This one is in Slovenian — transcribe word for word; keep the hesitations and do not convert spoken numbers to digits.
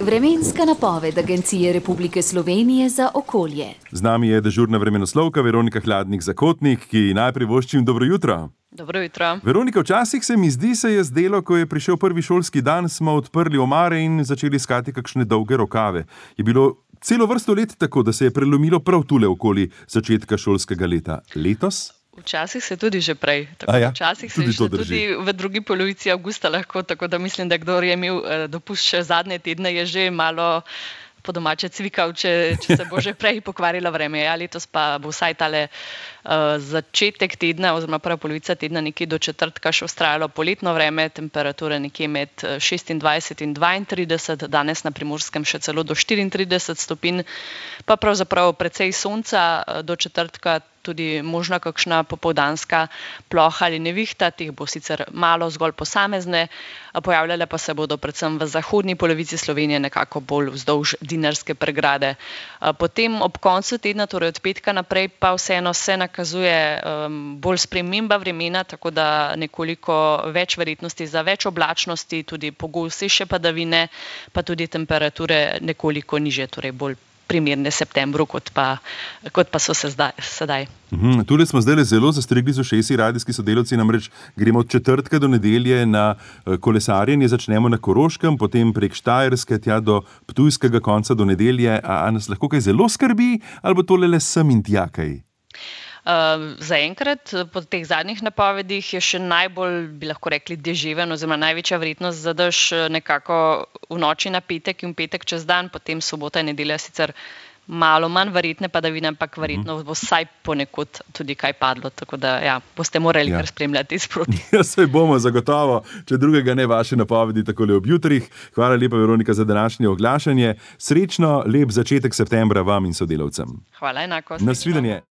Vremenska napoved Agencije Republike Slovenije za okolje. Z nami je dežurna vremenoslovka Veronika Hladnik-Zakotnik, ki najprej voščim dobro jutro. Dobro jutro. Veronika, včasih se mi zdi, se je zdelo, ko je prišel prvi šolski dan, smo odprli omare in začeli iskati kakšne dolge rokave. Je bilo celo vrsto let tako, da se je prelomilo prav tule okoli začetka šolskega leta. Letos? Včasih se tudi že prej. Tako, ja, včasih tudi se tudi v drugi polovici avgusta lahko, tako da mislim, da kdor je imel eh, dopust še zadnje tedne, je že malo po domače cvikal, če, če se bo že prej pokvarilo vreme. Ja, letos pa bo vsaj tale uh, začetek tedna oziroma prva polovica tedna nekje do četrtka še vztrajalo poletno vreme, temperature nekje med šestindvajset in dvaintrideset, danes na Primorskem še celo do štiriintrideset stopinj, pa pravzaprav precej sonca do četrtka, tudi možna kakšna popoldanska ploha ali nevihta, teh bo sicer malo zgolj posamezne, pojavljale pa se bodo predvsem v zahodni polovici Slovenije, nekako bolj vzdolž Dinarske pregrade. Potem ob koncu tedna, torej od petka naprej, pa vseeno se nakazuje um, bolj sprememba vremena, tako da nekoliko več verjetnosti za več oblačnosti, tudi pogostejše padavine, pa tudi temperature nekoliko nižje, torej bolj primerne septembru, kot pa, kot pa so se zdaj, sedaj. Uhum, tule smo zdaj zelo zastrigli z ušesi, radijski sodelavci, namreč gremo od četrtka do nedelje na kolesarjenje, začnemo na Koroškem, potem prek Štajerske, tja do ptujskega konca do nedelje. A, a nas lahko kaj zelo skrbi, ali bo tole le sem in tja kaj? Uh, zaenkrat, po teh zadnjih napovedih je še najbolj, bi lahko rekli, deževen oziroma največja verjetnost za dež nekako v noči na petek in petek čez dan, potem sobota in nedelja sicer malo manj verjetne padavine, ampak verjetno bo vsaj ponekod tudi kaj padlo, tako da ja, boste morali ja. kar spremljati sproti. Ja, saj bomo zagotovo, če drugega ne, vaše napovedi takole ob jutrih. Hvala lepa, Veronika, za današnje oglašanje. Srečno, lep začetek septembra vam in sodelavcem. Hvala, enako. Nasvidenje.